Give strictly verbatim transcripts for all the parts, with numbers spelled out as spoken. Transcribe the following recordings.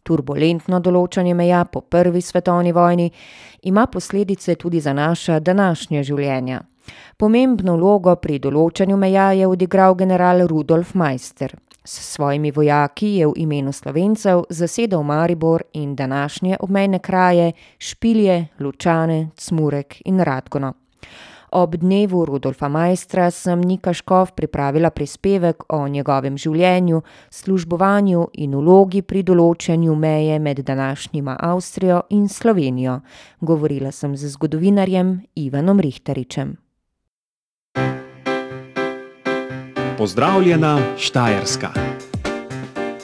Turbulentno določanje meja po prvi svetovni vojni ima posledice tudi za naša današnja življenja. Pomembno vlogo pri določanju meja je odigral general Rudolf Maister. S svojimi vojaki je v imenu Slovencev zasedel Maribor in današnje obmejne kraje Špilje, Lučane, Cmurek in Radgono. Ob dnevu Rudolfa Maistra sem Nika Škof pripravila prispevek o njegovem življenju, službovanju in vlogi pri določanju meje med današnjima Avstrijo in Slovenijo. Govorila sem z zgodovinarjem Ivanom Rihtaričem. Pozdravljena Štajerska.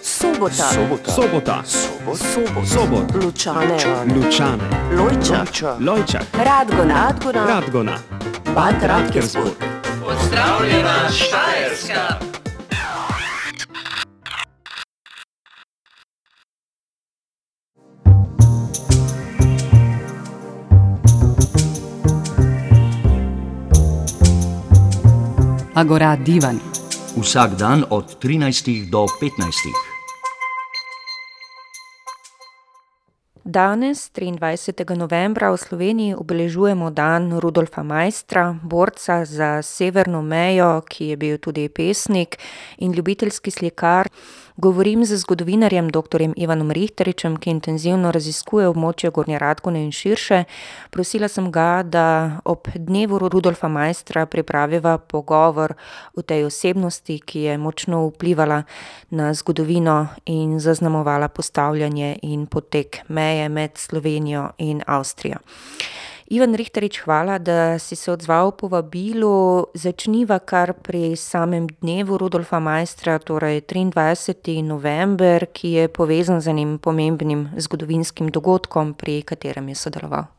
Sobota. Sobota. Sobota. Sobot. Sobot. Lučane. Lučane. Lojčak. Lojčak. Radgona. Radgona. Radgona. Bad Radkersburg. Pozdravljena Štajerska. Agora Divan. Vsak dan od trinajstih do petnajstih. Danes, triindvajsetega novembra, v Sloveniji obeležujemo dan Rudolfa Maistra, borca za severno mejo, ki je bil tudi pesnik in ljubiteljski slikar. Govorim z zgodovinarjem doktorjem Ivanom Rihtaričem, ki intenzivno raziskuje območje Gornje Radgone in širše. Prosila sem ga, da ob dnevu Rudolfa Maistra pripraviva pogovor o tej osebnosti, ki je močno vplivala na zgodovino in zaznamovala postavljanje in potek meje med Slovenijo in Avstrijo. Ivan Rihtarič, hvala, da si se odzval povabilu. Začniva kar pri samem dnevu Rudolfa Maistra, torej triindvajseti november, ki je povezan z enim pomembnim zgodovinskim dogodkom, pri katerem je sodeloval.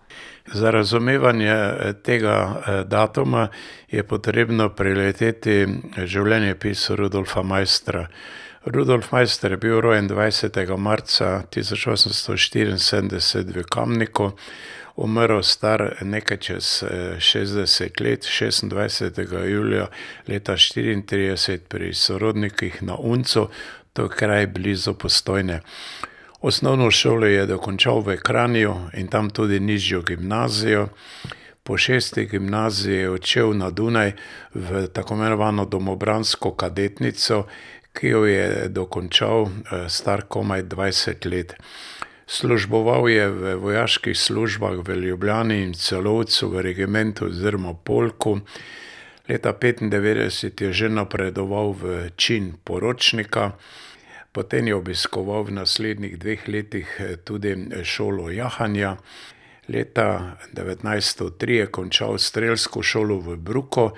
Za razumevanje tega datuma je potrebno preleteti življenjepis Rudolfa Maistra. Rudolf Maister je bil rojen dvajsetega marca tisoč osemsto štiriinsedemdeset v Kamniku, umrl star nekaj čez šestdeset let, šestindvajsetega julija leta štiriintrideset pri sorodnikih na Uncu, to je kraj blizu Postojne. Osnovno šolo je dokončal v Kranju in tam tudi nižjo gimnazijo. Po šesti gimnaziji je odšel na Dunaj v tako imenovano domobransko kadetnico, ki jo je dokončal star komaj dvajset let. Služboval je v vojaških službah v Ljubljani in Celovcu v regimentu oziroma polku. Leta petindevetdeset je že napredoval v čin poročnika, potem je obiskoval v naslednjih dveh letih tudi šolo jahanja. Leta devetnajststo tri je končal strelsko šolo v Bruku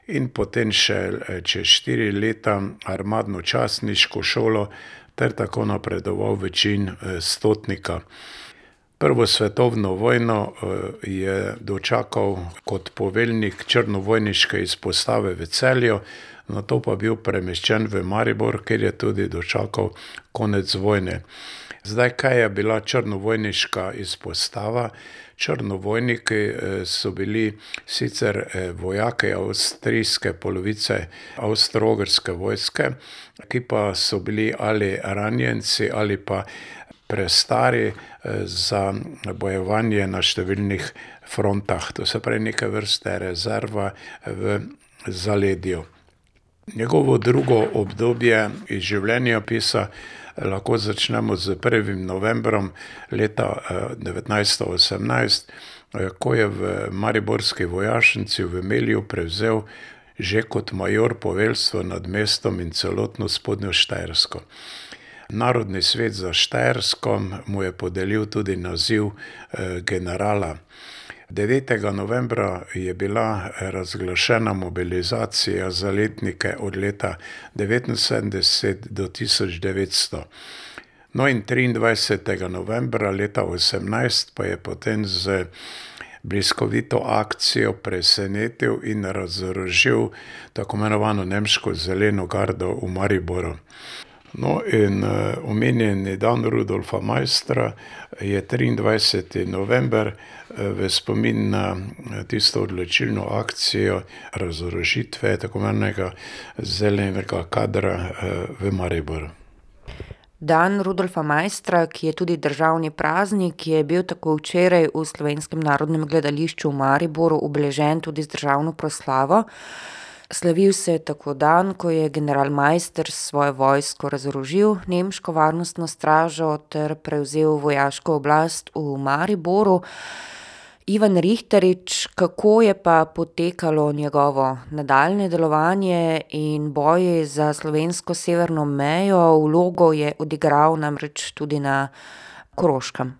in potem še čez štiri leta armadno častniško šolo ter tako napredoval v čin stotnika. Prvo svetovno vojno je dočakal kot poveljnik črnovojniške izpostave v Celju, nato pa bil premeščen v Maribor, kjer je tudi dočakal konec vojne. Zdaj, kaj je bila črnovojniška izpostava? Črnovojniki so bili sicer vojaki avstrijske polovice avstro-ogrske vojske, ki pa so bili ali ranjenci ali pa prestari za bojevanje na številnih frontah. To se pravi neke vrste rezerva v zaledju. Njegovo drugo obdobje iz življenjepisa lahko začnemo z prvim novembrom leta devetnajststo osemnajst, ko je v mariborski vojašnici v Melju prevzel že kot major poveljstvo nad mestom in celotno spodnjo Štajersko. Narodni svet za Štajersko mu je podelil tudi naziv generala. devetega novembra je bila razglašena mobilizacija za letnike od leta devetinsedemdeset do tisoč devetsto. No in triindvajsetega novembra leta osemnajst pa je potem z bliskovito akcijo presenetil in razorožil tako imenovano nemško zeleno gardo v Mariboru. No in omenjeni dan Rudolfa Maistra je triindvajseti november v spomin na tisto odločilno akcijo razorožitve tako imenovanega zelenega kadra v Mariboru. Dan Rudolfa Maistra, ki je tudi državni praznik, je bil tako včeraj v Slovenskem narodnem gledališču v Mariboru obeležen tudi z državno proslavo. Slavil se je tako dan, ko je general Maister svojo vojsko razorožil nemško varnostno stražo ter prevzel vojaško oblast v Mariboru. Ivan Richterič, kako je pa potekalo njegovo nadaljnje delovanje in boji za slovensko severno mejo? Vlogo je odigral namreč tudi na Koroškem.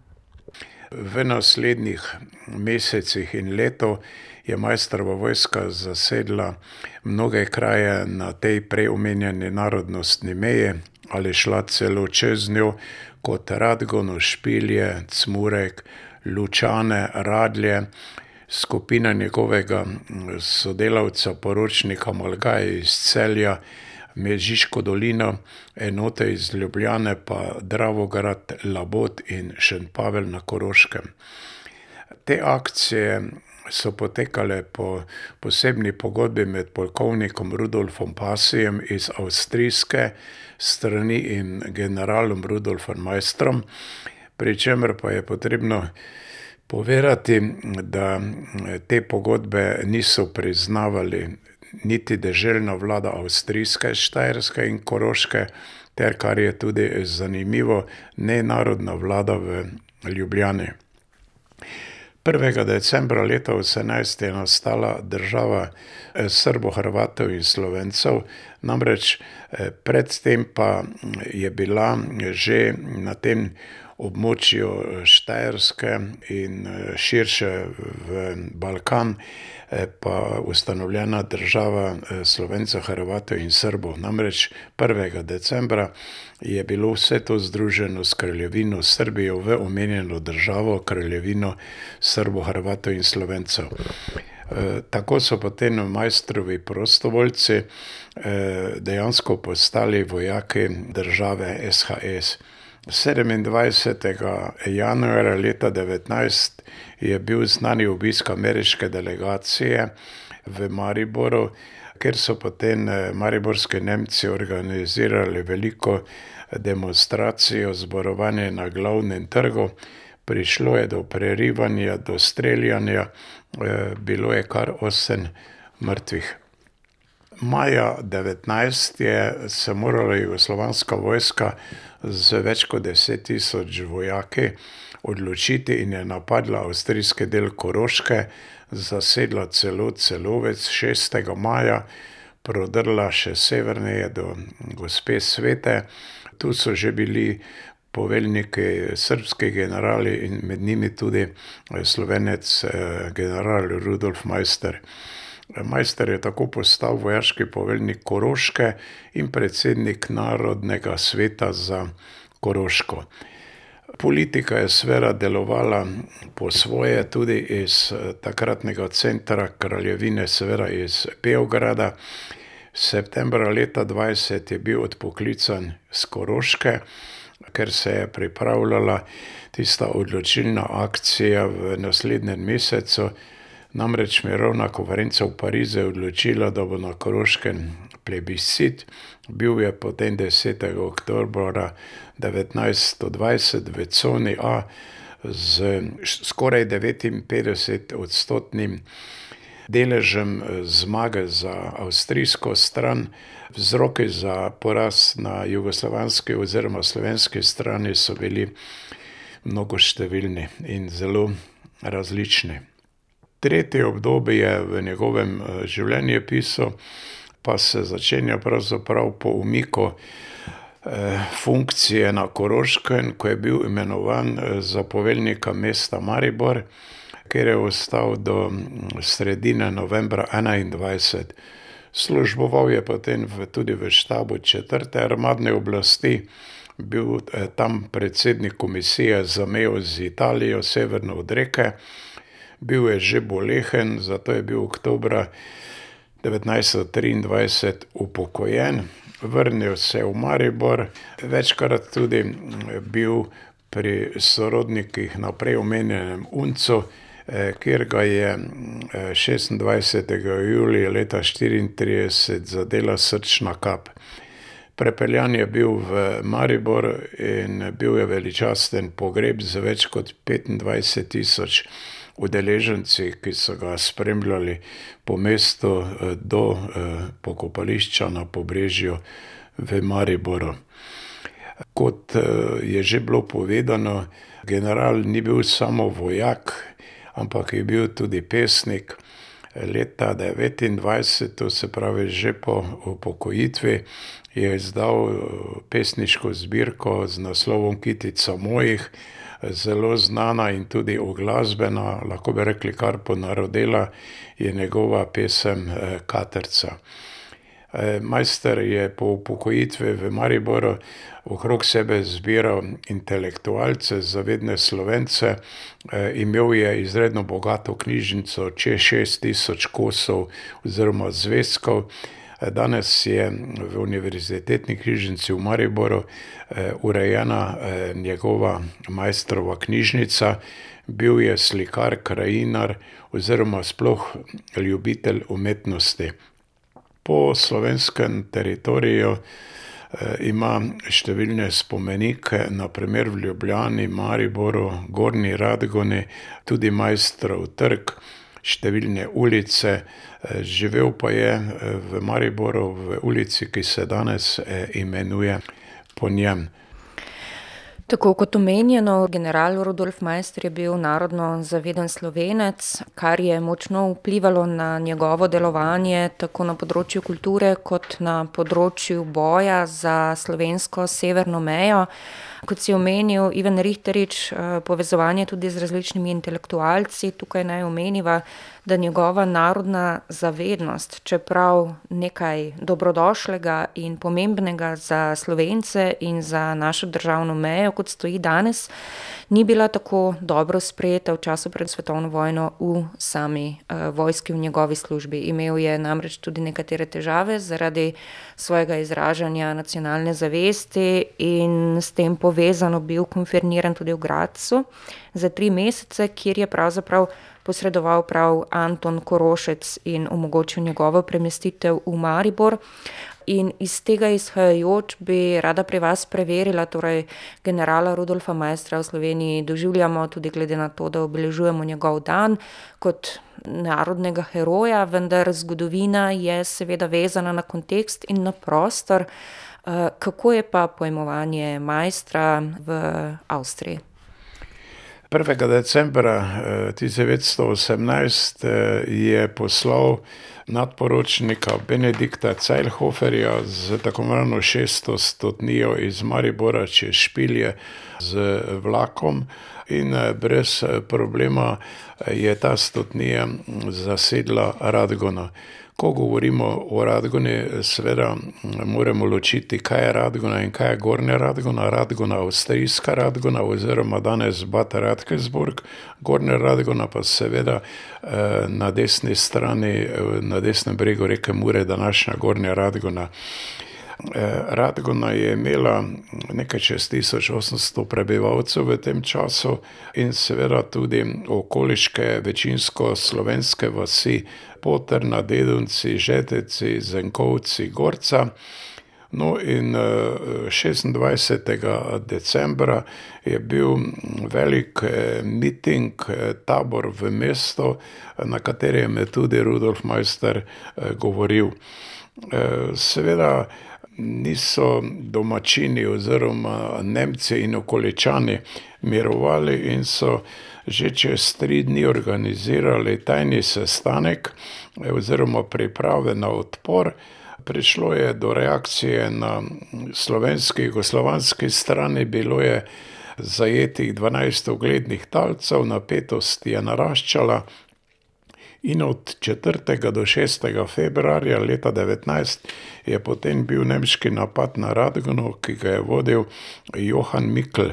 V naslednjih mesecih in leto je Maistrova vojska zasedla mnoge kraje na tej prej omenjeni narodnostni meji ali šla celo čez njo, kot Radgonu, Špilje, Cmurek, Lučane, Radlje. Skupina njegovega sodelavca, poročnika Malgaja iz Celja, Mežiško dolino, enote iz Ljubljane pa Dravograd, Labot in Šentpavelj na Koroškem. Te akcije so potekale po posebni pogodbi med polkovnikom Rudolfom Pasijem iz avstrijske strani in generalom Rudolfom Maistrom, pri čemer pa je potrebno povedati, da te pogodbe niso priznavali niti deželna vlada avstrijske, Štajerske in Koroške, ter, kar je tudi zanimivo, ne narodna vlada v Ljubljani. prvega decembra leta osemnajst je nastala država Srbov, Hrvatov in Slovencev, namreč predtem pa je bila že na tem območju Štajerske in širše v Balkan pa ustanovljena država Slovencev, Hrvatov in Srbov. Namreč prvega decembra je bilo vse to združeno s kraljevino Srbijo v omenjeno državo, kraljevino Srbov, Hrvatov in Slovencev. Tako so potem Maistrovi prostovoljci dejansko postali vojaki države S H S. sedemindvajsetega januarja leta devetnajst je bil znani obisk ameriške delegacije v Mariboru, ker so potem mariborski Nemci organizirali veliko demonstracijo, zborovanje na glavnem trgu. Prišlo je do prerivanja, do streljanja, bilo je kar osem mrtvih. Maja devetnajst je se morala jugoslovanska vojska z več kot deset tisoč vojaki odločiti in je napadla avstrijski del Koroške, zasedla celo Celovec šestega maja, prodrla še severneje do Gospe Svete. Tu so že bili poveljniki, srbski generali in med njimi tudi Slovenec general Rudolf Maister. Maister je tako postal vojaški poveljnik Koroške in predsednik Narodnega sveta za Koroško. Politika je seveda delovala po svoje tudi iz takratnega centra kraljevine, seveda iz Beograda. Septembra leta dvajset je bil odpoklican z Koroške, ker se je pripravljala tista odločilna akcija v naslednjem mesecu. Namreč mirovna konferenca v Parizu je odločila, da bo na Koroškem plebiscit. Bil je potem desetega oktobra devetnajststo dvajset v coni A z skoraj devetinpetdeset odstotnim deležem zmage za avstrijsko stran. Vzroki za poraz na jugoslovanski oziroma slovenski strani so bili mnogoštevilni in zelo različni. Tretje obdobje v njegovem življenjepisu pa se začenja pravzaprav po umiku funkcije na Koroškem, ko je bil imenovan za poveljnika mesta Maribor, kjer je ostal do sredine novembra enaindvajset. Služboval je potem v, tudi v štabu četrte armadne oblasti, bil tam predsednik komisije za mejo z Italijo, severno od reke. Bil je že bolehen, zato je bil oktobra devetnajststo triindvajset upokojen. Vrnil se v Maribor, večkrat tudi bil pri sorodnikih na prej omenjenem Uncu, kjer ga je šestindvajsetega julija leta štiriintrideset zadela srčna kap. Prepeljan je bil v Maribor in bil je veličasten pogreb z več kot petindvajset tisoč udeleženci, ki so ga spremljali po mestu do pokopališča na Pobrežju v Mariboru. Kot je že bilo povedano, general ni bil samo vojak, ampak je bil tudi pesnik. Leta devetindvajset, to se pravi že po upokojitvi, je izdal pesniško zbirko z naslovom Kitica mojih, zelo znana in tudi uglasbena, lahko bi rekli kar ponarodela, je njegova pesem Katrca. Maister je po upokojitvi v Mariboru okrog sebe zbiral intelektualce, zavedne Slovence, imel je izredno bogato knjižnico, čez šest tisoč kosov oziroma zvezkov. Danes je v Univerzitetni knjižnici v Mariboru urejena njegova Maistrova knjižnica. Bil je slikar, krajinar oziroma sploh ljubitelj umetnosti. Po slovenskem teritoriju ima številne spomenike, na primer v Ljubljani, Mariboru, Gornji Radgoni, tudi Maistrov trg, številne ulice. Živel pa je v Mariboru v ulici, ki se danes imenuje po njem. Tako kot omenjeno, general Rudolf Maister je bil narodno zaveden Slovenec, kar je močno vplivalo na njegovo delovanje tako na področju kulture kot na področju boja za slovensko severno mejo. Kot si omenil, Ivan Richterič, povezovanje tudi z različnimi intelektualci, tukaj naj omeniva, da njegova narodna zavednost, čeprav nekaj dobrodošlega in pomembnega za Slovence in za našo državno mejo, kot stoji danes, ni bila tako dobro sprejeta v času pred svetovno vojno v sami uh, vojski, v njegovi službi. Imel je namreč tudi nekatere težave zaradi svojega izražanja nacionalne zavesti in s tem povezano bil konferniran tudi v Gradcu za tri mesece, kjer je pravzaprav posredoval prav Anton Korošec in omogočil njegovo premestitev v Maribor. In iz tega izhajajoč bi rada pri vas preverila, torej generala Rudolfa Maistra v Sloveniji doživljamo tudi glede na to, da obeležujemo njegov dan kot narodnega heroja, vendar zgodovina je seveda vezana na kontekst in na prostor. Kako je pa pojmovanje Maistra v Avstriji? prvega decembra tisoč devetsto osemnajst je poslal nadporočnika Benedikta Zeilhoferja z tako imenovano šesto stotnijo iz Maribora čez Špilje z vlakom in brez problema je ta stotnija zasedla Radgona. Ko govorimo o Radgoni, seveda moramo ločiti, kaj je Radgona in kaj je Gornja Radgona. Radgona, avstrijska Radgona oziroma danes Bad Radkersburg, Gornja Radgona pa seveda na desni strani, na desnem bregu reke Mure, današnja Gornja Radgona. Radgona je imela nekaj čez tisoč osemsto prebivalcev v tem času in seveda tudi okoliške večinsko slovenske vasi Potrna, Dedunci, Žeteci, Zenkovci, Gorca. No in šestindvajsetega decembra je bil velik miting, tabor v mestu, na katerem je tudi Rudolf Maister govoril. Seveda niso domačini oziroma Nemci in okoličani mirovali in so že čez tri dni organizirali tajni sestanek oziroma priprave na odpor. Prišlo je do reakcije na slovenski, jugoslovanski strani, bilo je zajetih dvanajst uglednih talcev, napetost je naraščala. In od četrtega do šestega februarja leta devetnajst je potem bil nemški napad na Radgono, ki ga je vodil Johann Mikl.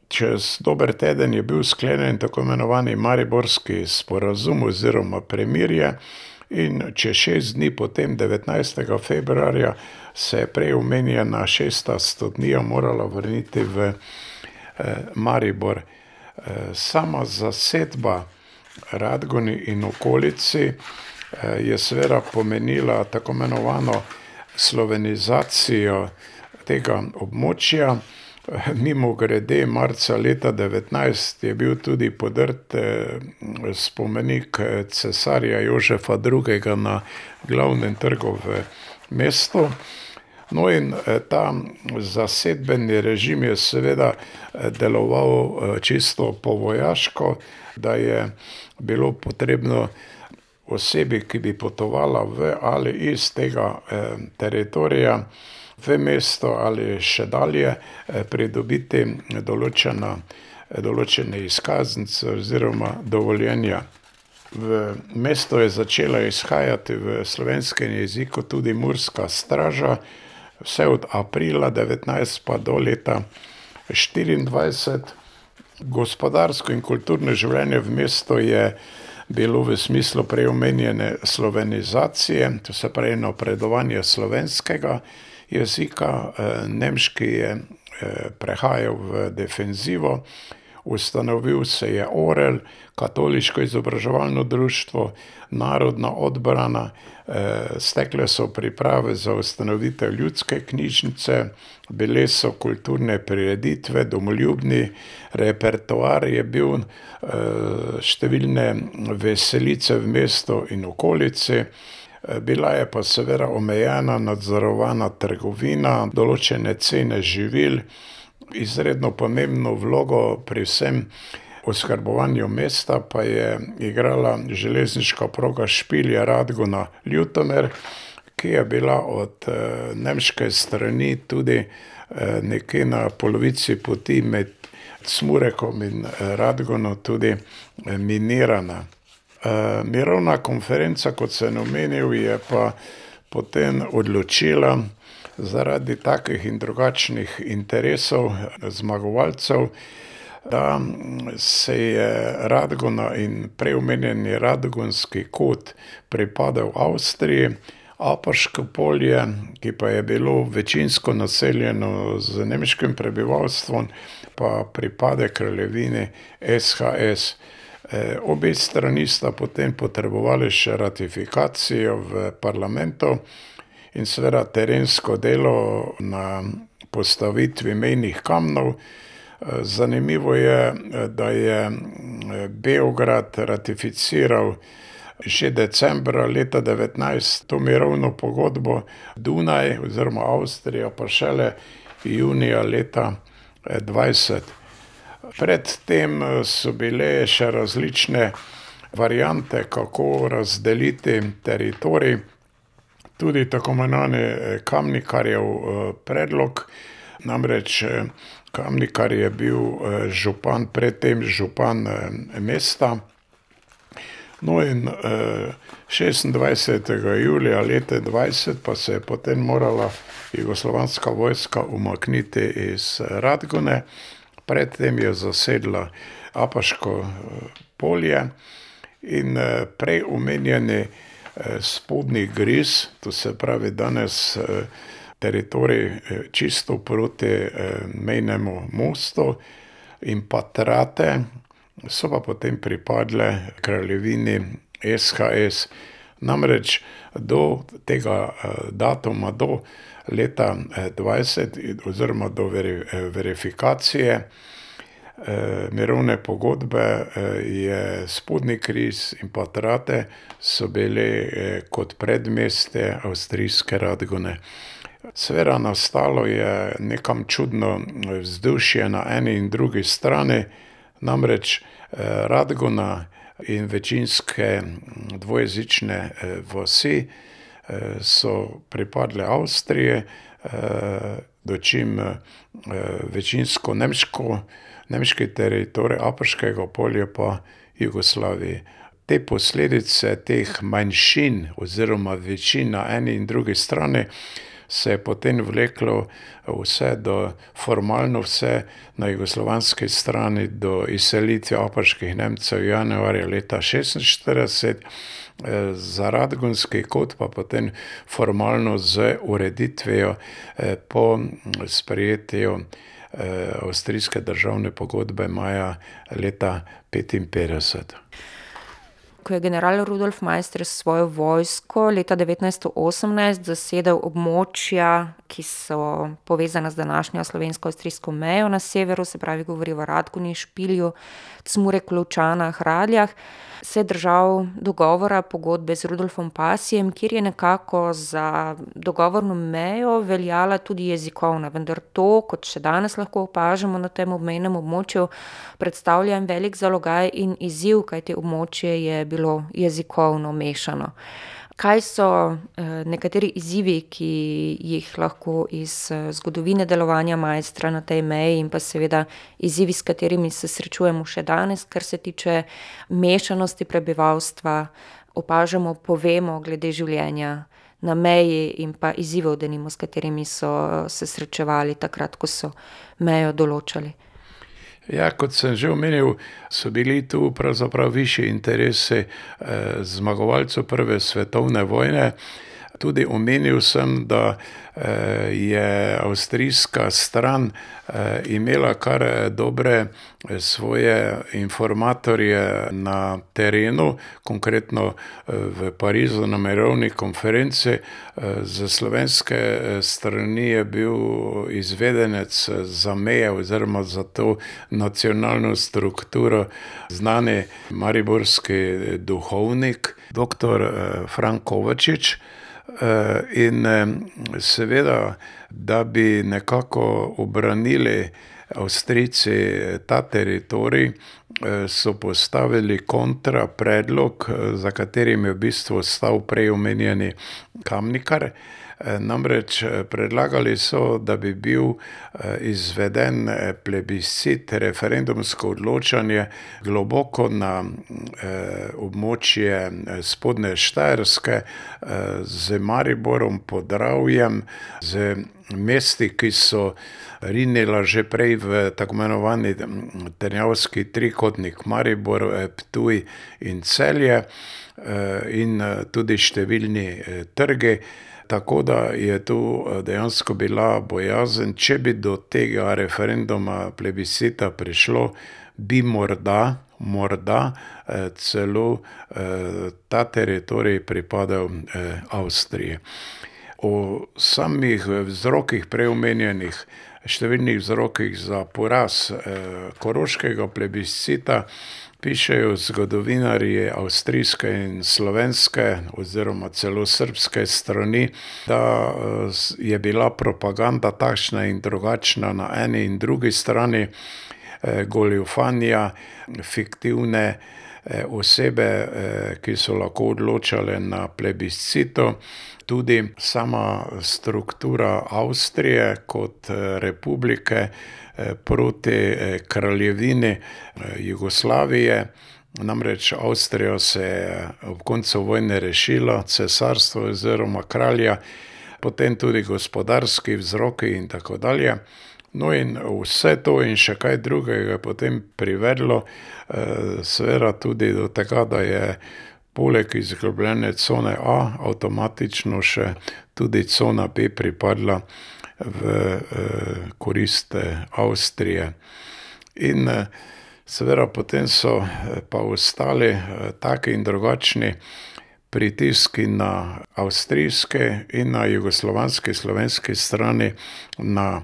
Čez dober teden je bil sklenjen tako imenovani Mariborski sporazum oziroma premirje in čez šest dni potem, devetnajstega februarja, se je prej omenjena šesta stotnija morala vrniti v Maribor. Sama zasedba Radgoni in okolici je seveda pomenila tako imenovano slovenizacijo tega območja. Mimogrede, marca leta devetnajst je bil tudi podrt spomenik cesarja Jožefa drugega na glavnem trgu v mestu. No in ta zasedbeni režim je seveda deloval čisto povojaško, da je bilo potrebno osebi, ki bi potovala v ali iz tega teritorija v mesto ali še dalje, pridobiti določena, določene izkaznice oziroma dovoljenja. V mesto je začela izhajati v slovenskem jeziku tudi Murska straža, vse od aprila devetnajst pa do leta štiriindvajset. Gospodarsko in kulturno življenje v mestu je bilo v smislu prej omenjene slovenizacije, to se pravi napredovanje slovenskega jezika. Nemški je prehajal v defenzivo, ustanovil se je Orel, katoliško izobraževalno društvo, narodna odbrana, stekle so priprave za ustanovitev ljudske knjižnice, bile so kulturne prireditve, domoljubni repertoar je bil, številne veselice v mestu in okolici. Bila je pa seveda omejena, nadzorovana trgovina, določene cene živil. Izredno pomembno vlogo pri vsem oskrbovanju mesta pa je igrala železniška proga Špilje-Radgona-Ljutomer, ki je bila od nemške strani tudi nekje na polovici poti med Smurekom in Radgono tudi minirana. Mirovna konferenca, kot sem omenil, je pa potem odločila zaradi takih in drugačnih interesov zmagovalcev, da se je Radgona in prej omenjeni Radgonski kot pripadal Avstriji, Apaško polje, ki pa je bilo večinsko naseljeno z nemškim prebivalstvom, pa pripade kraljevini S H S. Obe strani sta potem potrebovali še ratifikacijo v parlamentu in seveda terensko delo na postavitvi mejnih kamnov. Zanimivo je, da je Beograd ratificiral že decembra leta devetnajst to mirovno pogodbo, Dunaj oziroma Avstrija pa šele junija leta dvajset. Pred tem so bile še različne variante, kako razdeliti teritorij. Tudi tako imenovani Kamnikarjev predlog, namreč Kamnikar je bil župan, predtem župan mesta. No in šestindvajsetega julija leta dvajset pa se je potem morala jugoslovanska vojska umakniti iz Radgone. Predtem je zasedla Apaško polje in prej omenjeni spodnji Gris, to se pravi danes teritorij čisto proti mejnemu mostu, in pa Trate so pa potem pripadle kraljevini S H S. Namreč do tega datuma, do leta dvajset oziroma do verifikacije mirovne pogodbe je spodnji Gris in pa Trate so bili kot predmestje avstrijske Radgone. Seveda nastalo je nekam čudno vzdušje na eni in drugi strani, namreč Radgona in večinske dvojezične vasi so pripadle Avstriji, dočim večinsko nemško, nemški teritorij Apaškega polja pa Jugoslaviji. Te posledice teh manjšin oziroma večin na eni in drugi strani se je potem vleklo vse do, formalno vse na jugoslovanski strani do izselitve apaških Nemcev januarja leta šestinštirideset, za Radgonski kot pa potem formalno z ureditvijo po sprejetju avstrijske državne pogodbe maja leta petinpetdeset. ko je general Rudolf Maister s svojo vojsko leta devetnajststo osemnajst zasedel območja, ki so povezana z današnjo slovensko-avstrijsko mejo na severu, se pravi govori o Radgoni, Špilju, Cmurek, Lovčanah, Radljah, se je držal dogovora, pogodbe z Rudolfom Pasijem, kjer je nekako za dogovorno mejo veljala tudi jezikovna, vendar to, kot še danes lahko opažamo na tem obmejnem območju, predstavlja en velik zalogaj in izziv, kajti območje je bilo jezikovno mešano. Kaj so nekateri izzivi, ki jih lahko iz zgodovine delovanja Maistra na tej meji in pa seveda izzivi, s katerimi se srečujemo še danes, kar se tiče mešanosti prebivalstva, opažamo, povemo glede življenja na meji in pa izzivov, denimo, s katerimi so se srečevali takrat, ko so mejo določali? Ja, kot sem že omenil, so bili tu pravzaprav višji interesi eh, zmagovalcev prve svetovne vojne. Tudi omenil sem, da eh, je avstrijska stran eh, imela kar dobre svoje informatorje na terenu, konkretno v Parizu na mirovni konferenci. Za slovenske strani je bil izvedenec za meje oziroma za to nacionalno strukturo znani mariborski duhovnik, doktor Frank Kovačič. In seveda, da bi nekako obranili Avstrijci ta teritorij, so postavili kontra predlog, za katerim je v bistvu stal prej omenjeni Kamnikar. Namreč predlagali so, da bi bil izveden plebiscit, referendumsko odločanje globoko na območje spodnje Štajerske z Mariborom, Podravjem, z mesti, ki so rinila že prej v tako imenovani Trnavski trikotnik, Maribor, Ptuj in Celje, in tudi številni trgi. Tako da je tu dejansko bila bojazen, če bi do tega referenduma plebiscita prišlo, bi morda, morda celo ta teritorij pripadal Avstriji. O samih vzrokih preomenjenih, številnih vzrokih za poraz koroškega plebiscita pišejo zgodovinarji avstrijske in slovenske oziroma celo srbske strani, da je bila propaganda takšna in drugačna na eni in drugi strani, goljufanja, fiktivne osebe, ki so lahko odločale na plebiscitu. Tudi sama struktura Avstrije kot republike proti kraljevini Jugoslavije. Namreč Avstrija se je ob koncu vojne rešila, cesarstvo oziroma kralja, potem tudi gospodarski vzroki in tako dalje. No in vse to in še kaj drugega je potem privedlo seveda tudi do tega, da je poleg izgubljene cone A avtomatično še tudi cona B pripadla v korist Avstrije. In seveda potem so pa ostali taki in drugačni pritiski na avstrijske in na jugoslovanski, slovenski strani, na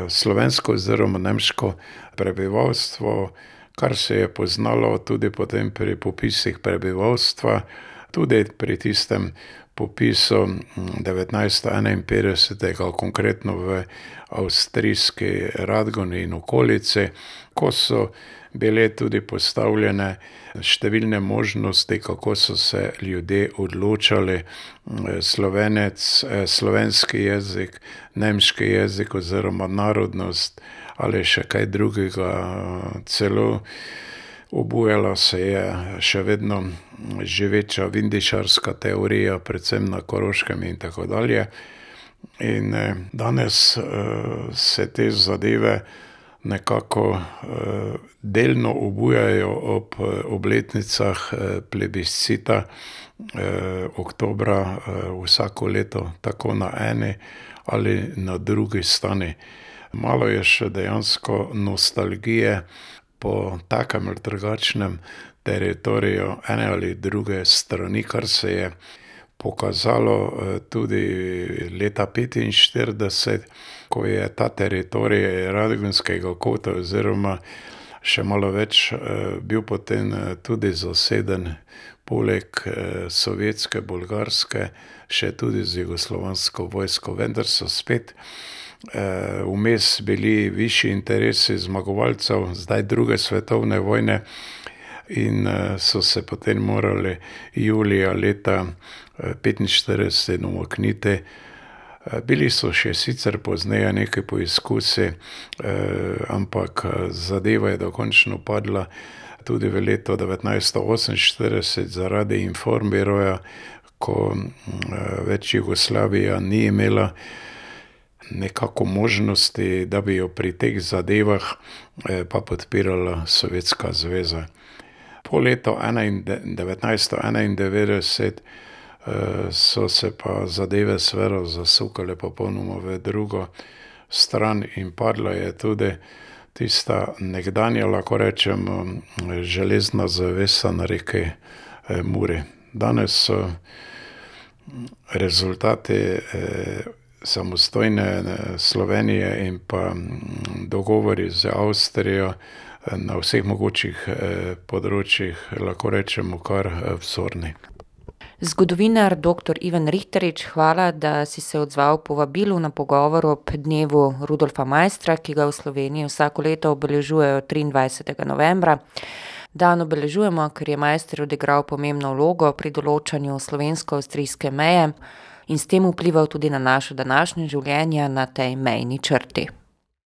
slovensko oziroma nemško prebivalstvo, kar se je poznalo tudi potem pri popisih prebivalstva, tudi pri tistem popisu devetnajststo enainpetdesetega, konkretno v avstrijski Radgoni in okolici, ko so bile tudi postavljene številne možnosti, kako so se ljudje odločali, slovenec, slovenski jezik, nemški jezik oziroma narodnost ali še kaj drugega. Celo obujala se je še vedno živeča vindišarska teorija, predvsem na Koroškem in tako dalje. In danes se te zadeve nekako delno obujajo ob obletnicah plebiscita oktobra vsako leto, tako na eni ali na drugi strani. Malo je še dejansko nostalgije po takem ali drugačnem teritoriju ene ali druge strani, kar se je pokazalo tudi leta petinštirideset, ko je ta teritorij Radgonskega kota oziroma še malo več bil potem tudi zaseden poleg sovjetske, bolgarske, še tudi z jugoslovansko vojsko, vendar so spet vmes bili višji interesi zmagovalcev zdaj druge svetovne vojne in so se potem morali julija leta petinštirideset umakniti. Bili so še sicer pozneje neki poizkusi, ampak zadeva je dokončno padla tudi v letu devetnajststo oseminštirideset zaradi informbiroja, ko več Jugoslavija ni imela nekako možnosti, da bi jo pri teh zadevah pa podpirala Sovjetska zveza. Po letu devetnajststo enaindevetdeset so se pa zadeve seveda zasukale popolnoma v drugo stran in padla je tudi tista nekdanja, lahko rečemo, železna zavesa na reki Muri. Danes so rezultati samostojne Slovenije in pa dogovori z Avstrijo na vseh mogočih področjih, lahko rečemo, kar vzorni. Zgodovinar doktor Ivan Rihtarič, hvala, da si se odzval povabilu na pogovor ob dnevu Rudolfa Maistra, ki ga v Sloveniji vsako leto obeležujejo triindvajsetega novembra. Dan obeležujemo, ker je Maister odigral pomembno vlogo pri določanju slovensko-avstrijske meje in s tem vplival tudi na naše današnje življenje na tej mejni črti.